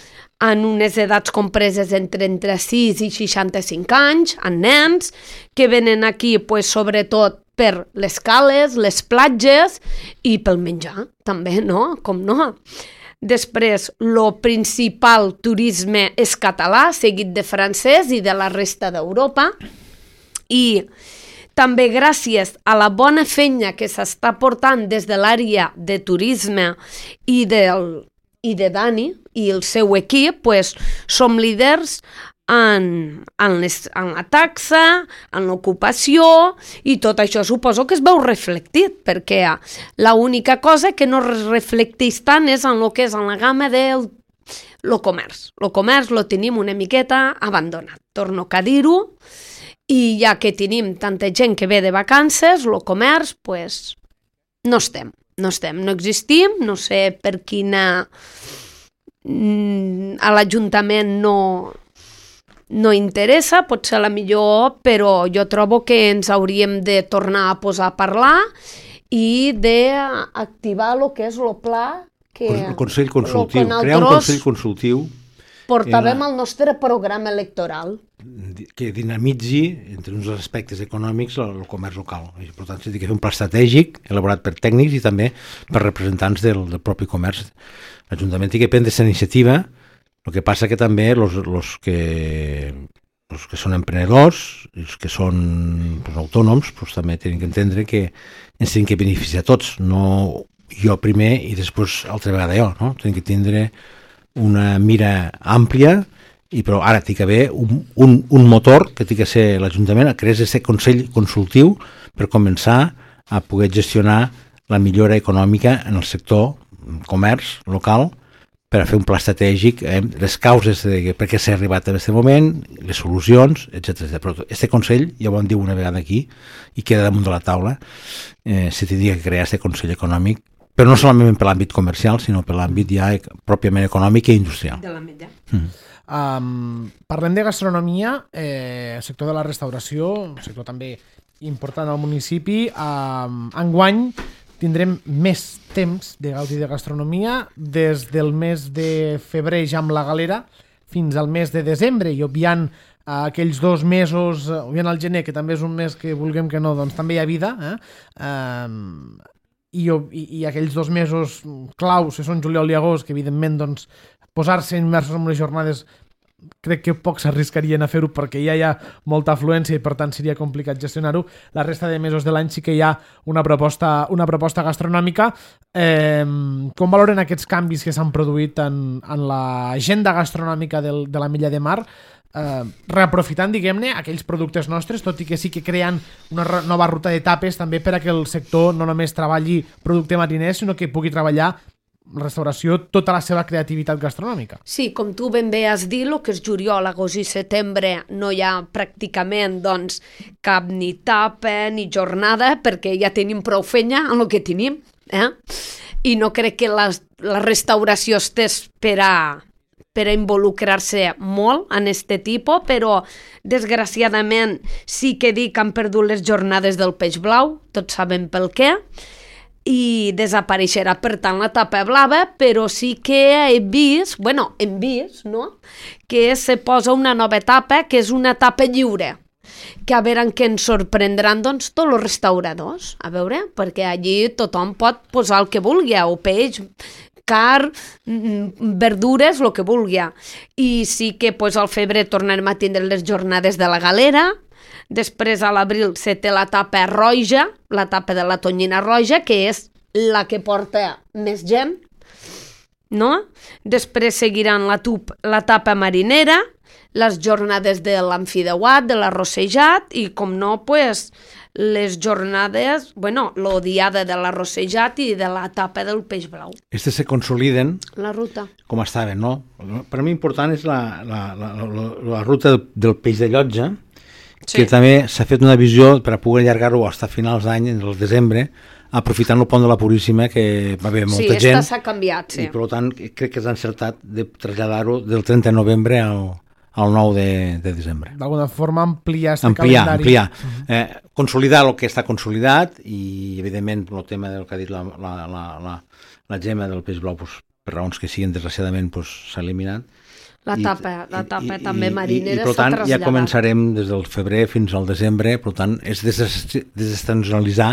en unes edats compreses entre entre sis i seixanta-cinc anys, en nens, que venen aquí pues, sobretot per les cales, les platges i pel menjar, també, no? Com no? Després, el principal turisme és català, seguit de francès i de la resta d'Europa. I també gràcies a la bona feina que s'està portant des de l'àrea de turisme i, del, i de Dani i el seu equip, pues, som líders en, en, les, en la taxa, en l'ocupació, i tot això suposo que es veu reflectit, perquè l'única cosa que no es reflecteix tant és en el que és en la gamma del lo comerç. El comerç lo tenim una miqueta abandonat, torno a dir-ho, i ja que tenim tanta gent que ve de vacances, el comerç, pues, no estem, no estem, no existim, no sé per quina... a l'Ajuntament no... no interessa, pot ser la millor, però jo trobo que ens hauríem de tornar a posar a parlar i d'activar el que és el pla que... El Consell Consultiu, crear un Consell Consultiu portàvem al nostre programa electoral. Que dinamitzi, entre uns aspectes econòmics, el, el comerç local. I, per tant, s'ha de fer un pla estratègic elaborat per tècnics i també per representants del, del propi comerç. L'Ajuntament té que prendre aquesta iniciativa. El que passa que també els que, los que són emprenedors, els que són pues, autònoms, pues, també tenen que entendre que ens tenen que beneficiar tots, no jo primer i després altra vegada jo. No? Tenen que tindre una mira àmplia, i però ara té que haver un, un, un motor que té que ser l'Ajuntament, a crear aquest Consell Consultiu per començar a poder gestionar la millora econòmica en el sector comerç local, per a fer un pla estratègic, eh, les causes de per què s'ha arribat a aquest moment, les solucions, etcètera. Però aquest Consell, ja ho vam dir una vegada aquí, i queda damunt de la taula, eh, se tindria que crear aquest Consell Econòmic, però no solament per l'àmbit comercial, sinó per l'àmbit ja pròpiament econòmic i industrial. De la mitja. Mm. Um, parlem de gastronomia, eh, el sector de la restauració, un sector també important al municipi. Um, enguany tindrem més temps de gaudir de gastronomia, des del mes de febrer ja amb la galera fins al mes de desembre, i obviant uh, aquells dos mesos, uh, obviant el gener, que també és un mes que vulguem que no, doncs també hi ha vida, eh? Um, i, i, i aquells dos mesos claus, que són juliol i agost, que evidentment doncs, posar-se immersos en unes jornades crec que pocs s'arriscarien a fer-ho perquè ja hi ha molta afluència i per tant seria complicat gestionar-ho. La resta de mesos de l'any sí que hi ha una proposta, una proposta gastronòmica. Eh, com valoren aquests canvis que s'han produït en, en l'agenda gastronòmica del, de la Milla de Mar, eh, reaprofitant, diguem-ne, aquells productes nostres, tot i que sí que creen una nova ruta d'etapes també per a que el sector no només treballi producte mariner, sinó que pugui treballar restauració, tota la seva creativitat gastronòmica. Sí, com tu ben bé has dit, el que és juliol, agost i setembre no hi ha pràcticament doncs, cap ni tapa ni jornada perquè ja tenim prou feina en el que tenim. Eh? I no crec que la, la restauració estés per a, per a involucrar-se molt en este tipus, però desgraciadament sí que dic que han perdut les jornades del peix blau, tots sabem pel què, i desapareixerà per tant la tapa blava, però sí que he vist, bueno, hem vist, no?, que se posa una nova tapa, que és una tapa lliure, que a veure en què ens sorprendran doncs tots els restauradors, a veure, perquè allí tothom pot posar el que vulgui, o peix, car, verdures, el que vulgui. I sí que pues, al febrer tornarem a tindre les jornades de la galera. Després a l'abril se té la tapa roja, la tapa de la tonyina roja, que és la que porta més gent, no? Després seguiran la, tup, la tapa marinera, les jornades de l'amfideuat, de l'arrossejat i, com no, pues, les jornades, bueno, l'odiada de l'arrossejat i de la tapa del peix blau. Estes se consoliden la ruta. Com estaven, no? Per mi important és la, la, la, la, la ruta del, del peix de llotja, sí, que també s'ha fet una visió per a poder allargar-ho fins a finals d'any, en el desembre, aprofitant el pont de la Puríssima, que va haver molta sí, gent. Sí, s'ha canviat, sí. I per tant crec que és encertat de traslladar-ho del trenta de novembre al, al nou de, de desembre. D'alguna forma ampliar aquest ampliar, calendari. Ampliar, ampliar. Eh, consolidar el que està consolidat i, evidentment, el tema del que ha dit la, la, la, la, la Gemma del peix blau, pues, per raons que siguin, desgraciadament, pues, s'ha eliminat. La tapa, la tapa I, també marinera s'ha traslladat. I, per tant, ja començarem des del febrer fins al desembre, per tant, és desestacionalitzar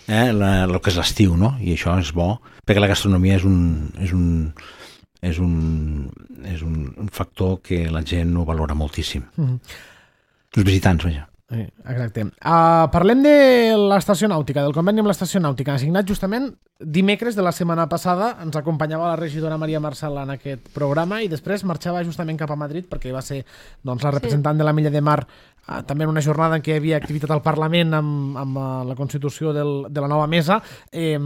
eh, la, el que és l'estiu, no? I això és bo, perquè la gastronomia és un, és un, és un, és un, un factor que la gent ho valora moltíssim. Mm-hmm. Els visitants, vaja. Exacte. Uh, parlem de l'estació nàutica, del conveni amb l'estació nàutica. Assignat justament dimecres de la setmana passada, ens acompanyava la regidora Maria Marcel en aquest programa i després marxava justament cap a Madrid perquè va ser doncs, la representant sí. de la Milla de Mar uh, també en una jornada en què hi havia activitat al Parlament amb, amb uh, la constitució del, de la nova mesa eh,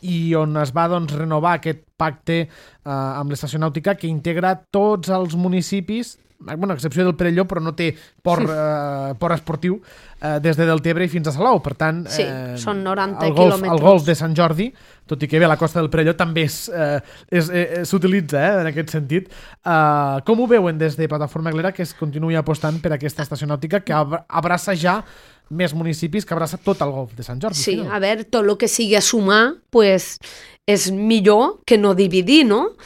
i on es va doncs, renovar aquest pacte uh, amb l'estació nàutica que integra tots els municipis, bueno, a excepció del Perelló, però no té port, eh, port esportiu eh, des de Deltebre i fins a Salou. Per tant, sí, eh, són noranta el golf, quilòmetres. El golf de Sant Jordi, tot i que bé, la costa del Perelló també eh, s'utilitza eh, en aquest sentit. Eh, com ho veuen des de Plataforma Aglera que es continuï apostant per aquesta estació nàutica que abraça ja més municipis, que abraça tot el golf de Sant Jordi? Sí, a veure, tot el que sigui a sumar, pues, és millor que no dividir, no?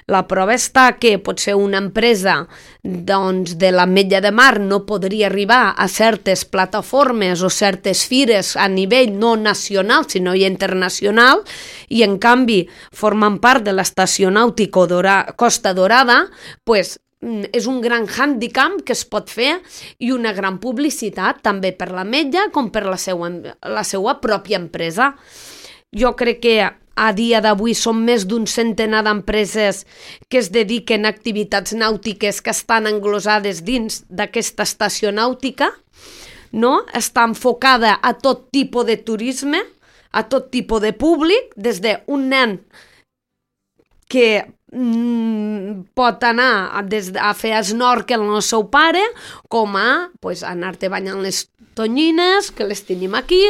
La prova està que potser una empresa doncs, de l'Ametlla de Mar no podria arribar a certes plataformes o certes fires a nivell no nacional, sinó internacional, i en canvi formen part de l'estació nàutica Dora, Costa Dorada, pues, és un gran hàndicap que es pot fer i una gran publicitat també per l'Ametlla com per la seva, la seva pròpia empresa. Jo crec que a dia d'avui són més d'un centenar d'empreses que es dediquen a activitats nàutiques que estan englosades dins d'aquesta estació nàutica, no? Està enfocada a tot tipus de turisme, a tot tipus de públic, des d'un nen que mm, pot anar des a fer snorkel amb el seu pare, com a pues, anar-te banyant les tonyines, que les tenim aquí,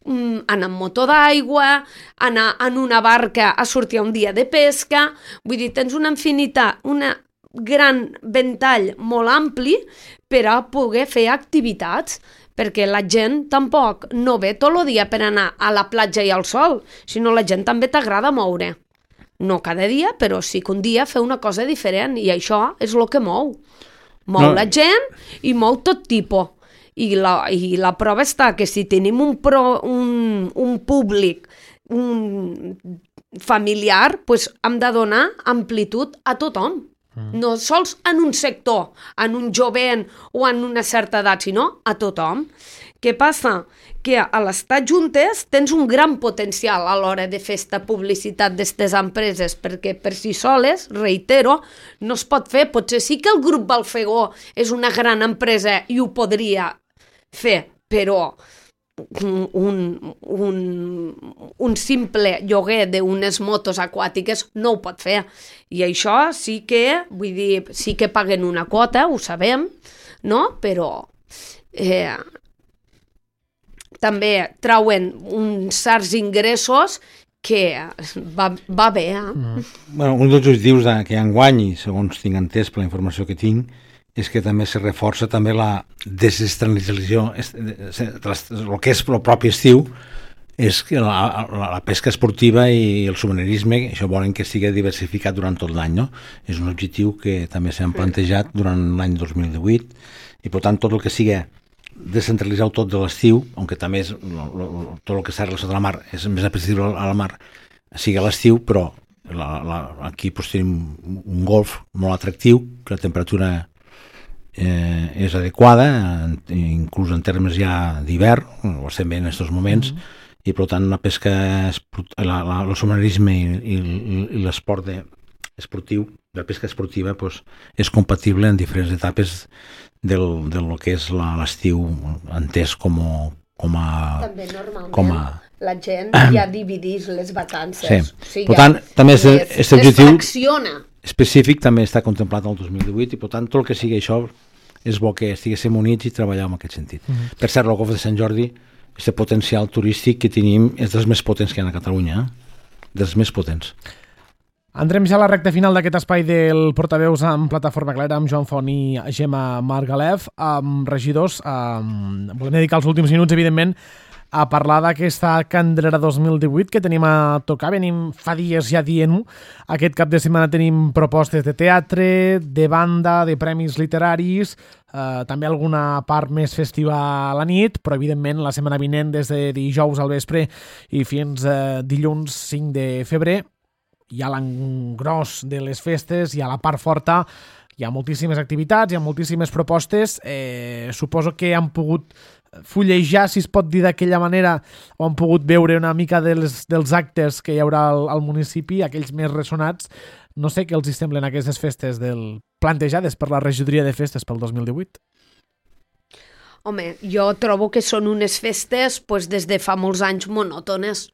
anar amb moto d'aigua, anar en una barca a sortir un dia de pesca. Vull dir, tens una infinitat, una gran ventall molt ampli per a poder fer activitats, perquè la gent tampoc no ve tot el dia per anar a la platja i al sol, sinó la gent també t'agrada moure. No cada dia, però sí que un dia fer una cosa diferent, i això és el que mou. Mou no. la gent i mou tot tipus. I la, i la prova està que si tenim un, pro, un, un públic un familiar, pues hem de donar amplitud a tothom. Mm. No sols en un sector, en un jovent o en una certa edat, sinó a tothom. Què passa? Que a l'estar juntes tens un gran potencial a l'hora de fer esta publicitat d'aquestes empreses, perquè per si soles, reitero, no es pot fer. Potser sí que el grup Balfegó és una gran empresa i ho podria fer, però un, un, un simple lloguer d'unes motos aquàtiques no ho pot fer. I això sí que, vull dir, sí que paguen una quota, ho sabem, no? Però eh, també trauen uns certs ingressos que va, va bé. Eh? Mm. Bueno, un dels objectius de, que enguany, segons tinc entès per la informació que tinc, és que també se reforça també la desestacionalització, el que és el propi estiu, és que la, la, la pesca esportiva i el submarinisme, això volen que sigui diversificat durant tot l'any, no? És un objectiu que també s'han plantejat durant l'any dos mil divuit, i per tant tot el que sigui descentralitzar tot de l'estiu, aunque també és, lo, lo, tot el que està relacionat a la mar és més apreciable a la mar, sigui a l'estiu, però la, la, aquí pues, tenim un golf molt atractiu, que la temperatura eh, és adequada, inclús en termes ja d'hivern, ho estem veient en aquests moments, mm-hmm. i per tant la pesca, la, la, el submarinisme i, i, i l'esport de, esportiu, la pesca esportiva pues, és compatible en diferents etapes del, del que és l'estiu entès com a, com a... També normalment com a, la gent ja dividís les vacances. Sí. O sigui, per tant, també és, les, aquest objectiu fracciona. Específic també està contemplat el dos mil divuit i per tant tot el que sigui això és bo que estiguéssim units i treballar en aquest sentit. Mm-hmm. Per cert, el golf de Sant Jordi, aquest potencial turístic que tenim és dels més potents que hi ha a Catalunya, eh? dels més potents. Entrem ja a la recta final d'aquest espai del Portaveus amb Plataforma Aglera, amb Joan Font i Gemma Margalef, amb regidors. Um, volem dedicar els últims minuts, evidentment, a parlar d'aquesta Candelera dos mil divuit que tenim a tocar. Venim fa dies ja dient-ho. Aquest cap de setmana tenim propostes de teatre, de banda, de premis literaris, eh, també alguna part més festiva a la nit, però evidentment la setmana vinent des de dijous al vespre i fins eh, dilluns cinc de febrer hi ha l'engròs de les festes, hi ha la part forta, hi ha moltíssimes activitats, hi ha moltíssimes propostes. Eh, suposo que han pogut fullejar, si es pot dir d'aquella manera, o han pogut veure una mica dels, dels actes que hi haurà al, al municipi, aquells més ressonats. No sé què els hi semblen aquestes festes del plantejades per la regidoria de festes pel dos mil divuit. Home, jo trobo que són unes festes pues, des de fa molts anys monòtones.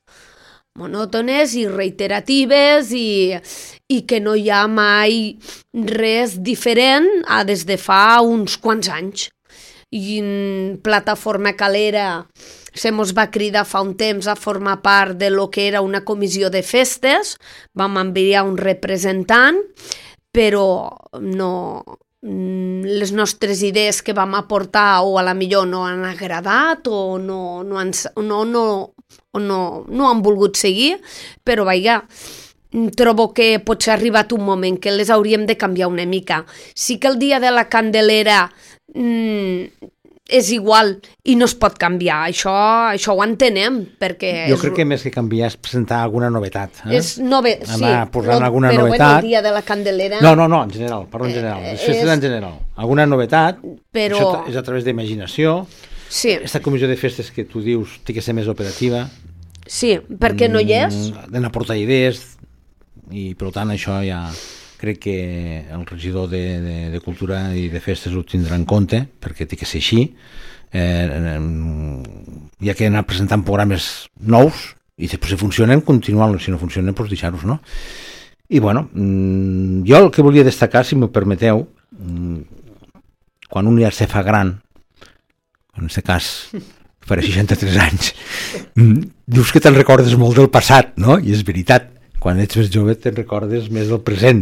monòtones i reiteratives i, i que no hi ha mai res diferent a des de fa uns quants anys. I en Plataforma Calera se mos va cridar fa un temps a formar part de lo que era una comissió de festes, vam enviar un representant, però no, les nostres idees que vam aportar o a la millor no han agradat o no, no, han, no, no, o no, no han volgut seguir, però vaja, trobo que potser ha arribat un moment que les hauríem de canviar una mica. Sí que el dia de la Candelera mm, és igual i no es pot canviar, això, això ho entenem, perquè... Jo és... crec que més que canviar és presentar alguna novetat. Eh? És nove... Anar sí, posant no, alguna però novetat. Bueno, el dia de la Candelera... No, no, no, en general, parlo en general, les festes és... en general. Alguna novetat, però... això és a través d'imaginació. Sí. Aquesta comissió de festes que tu dius té que ser més operativa. Sí, perquè no hi és. Han d'aportar idees i per tant això ja crec que el regidor de, de, de Cultura i de Festes ho tindrà en compte perquè té que ser així. Eh, hi ha que anar presentant programes nous i després si funcionen continuar-los, si no funcionen doncs deixar-los, no? I bueno, jo el que volia destacar, si m'ho permeteu, quan un ja se fa gran, en aquest cas farà seixanta-tres anys, dius que te'n recordes molt del passat, no? I és veritat, quan ets més jove te'n recordes més del present.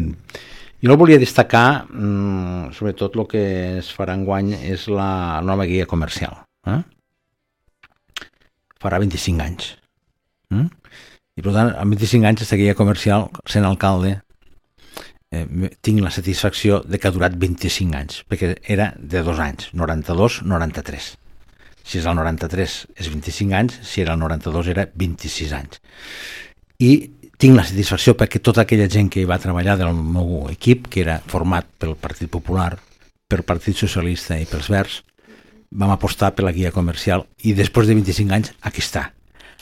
Jo el volia destacar, mmm, sobretot el que es farà enguany és la nova guia comercial. Eh? Farà vint-i-cinc anys. Mm? I per tant, amb vint-i-cinc anys aquesta guia comercial, sent alcalde, eh, tinc la satisfacció de que ha durat vint-i-cinc anys, perquè era de dos anys, noranta-dos noranta-tres. Si és el noranta-tres és vint-i-cinc anys, si era el noranta-dos era vint-i-sis anys. I tinc la satisfacció perquè tota aquella gent que hi va treballar del meu equip, que era format pel Partit Popular, pel Partit Socialista i pels Verds, vam apostar per la guia comercial i després de vint-i-cinc anys aquí està,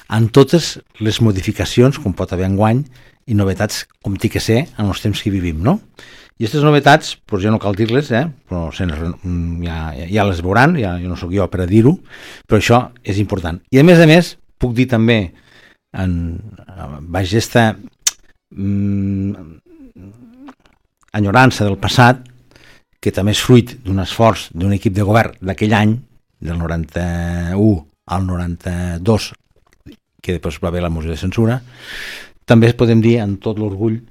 amb totes les modificacions com pot haver enguany i novetats com té que ser en els temps que vivim, no? I aquestes novetats, doncs ja no cal dir-les, eh? Però ja, ja les veuran, ja, jo no sóc jo per a dir-ho, però això és important. I a més a més, puc dir també en baix aquesta mm, enyorança del passat, que també és fruit d'un esforç d'un equip de govern d'aquell any, del noranta-u al noranta-dos, que després va haver la moció de censura, també podem dir amb tot l'orgull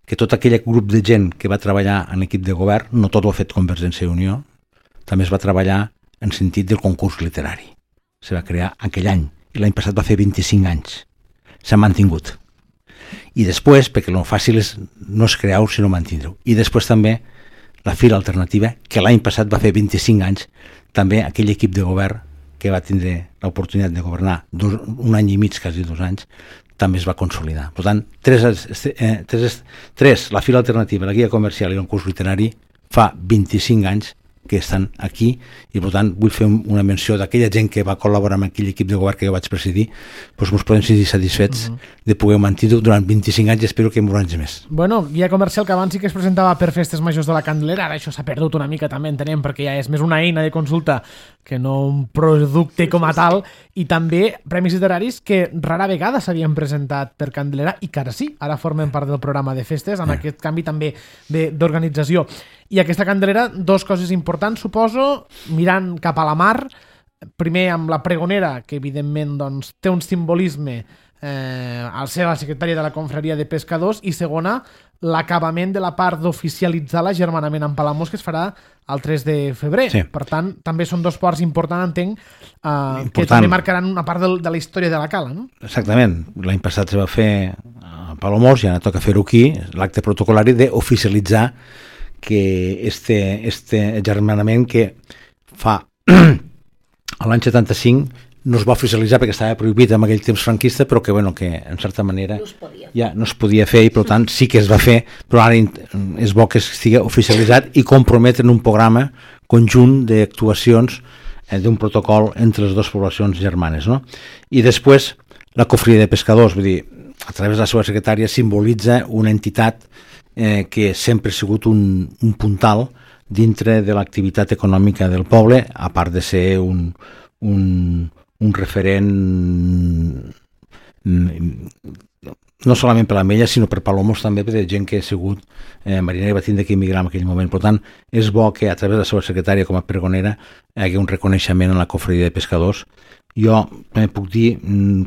que tot aquell grup de gent que va treballar en l'equip de govern, no tot ho ha fet Convergència i Unió, també es va treballar en sentit del concurs literari. Se va crear aquell any, i l'any passat va fer vint-i-cinc anys. S'ha mantingut. I després, perquè el fàcil és no és crear-ho, sinó mantindre-ho. I després també la Fira Alternativa, que l'any passat va fer vint-i-cinc anys, també aquell equip de govern que va tindre l'oportunitat de governar dos, un any i mig, quasi dos anys, també es va consolidar. Per tant, tres, eh, tres, tres, la Fira Alternativa, la Guia Comercial i el concurs literari, fa vint-i-cinc anys que estan aquí i per tant vull fer una menció d'aquella gent que va col·laborar amb aquell equip de govern que jo vaig presidir, doncs ens podem sentir satisfets uh -huh. de poder mantenir-ho durant vint-i-cinc anys i espero que molts anys més. Bueno, guia comercial que abans sí que es presentava per festes majors de la Candelera, ara això s'ha perdut una mica també, entenem, perquè ja és més una eina de consulta que no un producte com a tal, i també premis literaris que rara vegada s'havien presentat per Candelera i que ara sí, ara formen part del programa de festes amb eh. aquest canvi també d'organització. I aquesta Candelera, dos coses importants, suposo, mirant cap a la mar, primer amb la pregonera, que evidentment doncs, té un simbolisme eh, al ser la secretària de la confraria de pescadors, i segona, l'acabament de la part d'oficialitzar l'agermanament amb Palamós, que es farà el tres de febrer. Sí. Per tant, també són dos ports importants, entenc, eh, Important. que també marcaran una part de, de la història de la cala, no? Exactament. L'any passat se va fer a Palamós i ara toca fer-ho aquí, l'acte protocolari d'oficialitzar que este, este agermanament que fa l'any setanta-cinc no es va oficialitzar perquè estava prohibit en aquell temps franquista, però que, bueno, que en certa manera No es podia. ja no es podia fer i per tant sí que es va fer, però ara és bo que estigui oficialitzat i comprometre en un programa conjunt d'actuacions eh, d'un protocol entre les dues poblacions germanes, no? I després la cofradia de pescadors, vull dir, a través de la seva secretària simbolitza una entitat eh, que sempre ha sigut un, un puntal dintre de l'activitat econòmica del poble, a part de ser un, un, un referent no solament per l'Ametlla, sinó per Palamós també, per gent que ha sigut eh, marinera i va tindre que emigrar en aquell moment. Per tant, és bo que a través de la seva secretària com a pregonera hi hagi un reconeixement en la cofradia de pescadors. Jo també puc dir,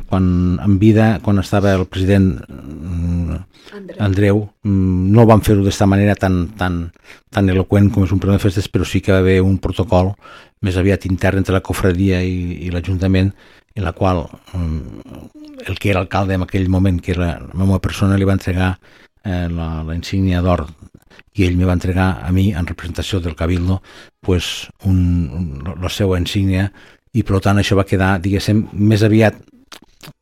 quan en vida, quan estava el president Andreu, Andreu no van fer-ho d'esta manera tan, tan, tan eloqüent com és un pregó de festes, però sí que va haver un protocol més aviat intern entre la cofradia i, i l'Ajuntament, en la qual el que era alcalde en aquell moment, que era la meva persona, li va entregar eh, la, la insígnia d'or i ell me va entregar a mi, en representació del Cabildo, pues, un, un, la seva insígnia, i per tant això va quedar, diguéssim, més aviat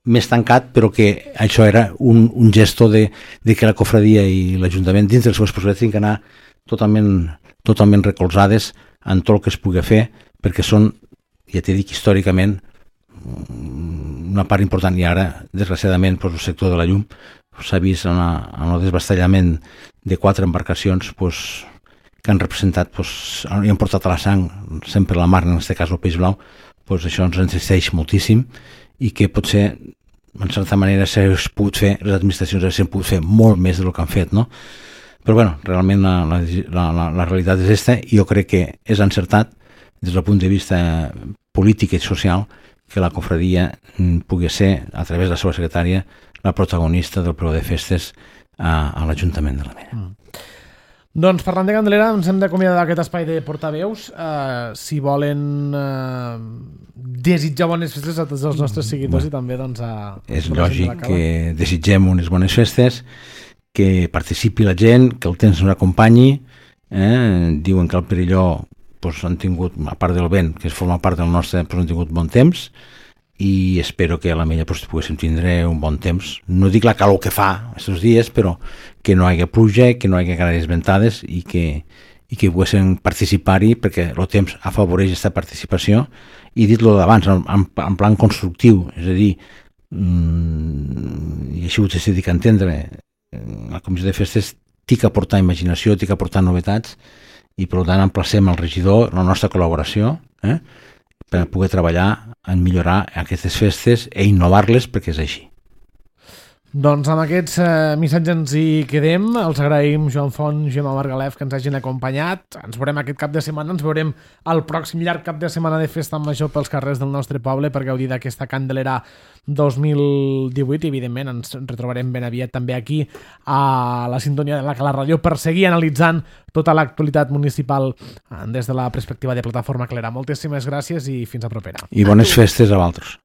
més tancat, però que això era un, un gesto de, de que la cofradia i l'Ajuntament dins de les seves possibilitats tenen que anar totalment, totalment recolzades en tot el que es pugui fer, perquè són, ja t'he dit, històricament una part important, i ara desgraciadament doncs, el sector de la llum s'ha vist en, una, en el desbastellament de quatre embarcacions doncs, que han representat doncs, i han portat a la sang sempre la mar, en aquest cas el peix blau. Doncs això ens entristeix moltíssim i que potser, en certa manera, s'ha pogut fer, les administracions s'han pogut fer molt més del que han fet, no? Però, bueno, realment la, la, la, la realitat és aquesta i jo crec que és encertat des del punt de vista polític i social que la cofradia pugui ser, a través de la seva secretària, la protagonista del pregó de festes a, a l'Ajuntament de l'Ametlla. Mm. Doncs parlant de Candelera, ens hem d'acomiadar d'aquest espai de portaveus. Uh, si volen uh, desitjar bones festes a tots els nostres seguidors mm. i també doncs, a... És lògic que desitgem unes bones festes, que participi la gent, que el temps ens acompanyi. Eh? Diuen que al Perelló pues, han tingut, a part del vent, que es forma part del nostre, pues, han tingut bon temps, i espero que a l'Ametlla pues, poguéssim tindre un bon temps. No dic la calor que fa aquests dies, però que no hi hagi pluja, que no hi hagi grans ventades i que, i que poguéssim participar-hi, perquè el temps afavoreix aquesta participació. I dit-lo d'abans, en, en, en plan constructiu, és a dir, mmm, i així ho s'ha dit que entendre, la comissió de festes té que aportar imaginació, té que aportar novetats, i per tant emplacem el regidor, la nostra col·laboració, eh? per poder treballar en millorar aquestes festes i innovar-les, perquè és així. Doncs amb aquests eh, missatges ens hi quedem. Els agraïm Joan Font, Gemma Margalef, que ens hagin acompanyat. Ens veurem aquest cap de setmana, ens veurem el pròxim llarg cap de setmana de festa major pels carrers del nostre poble per gaudir d'aquesta Candelera dos mil divuit i evidentment ens retrobarem ben aviat també aquí a la sintonia de la Cala Ràdio per seguir analitzant tota l'actualitat municipal des de la perspectiva de Plataforma Calera. Moltíssimes gràcies i fins a propera. I bones festes a vosaltres.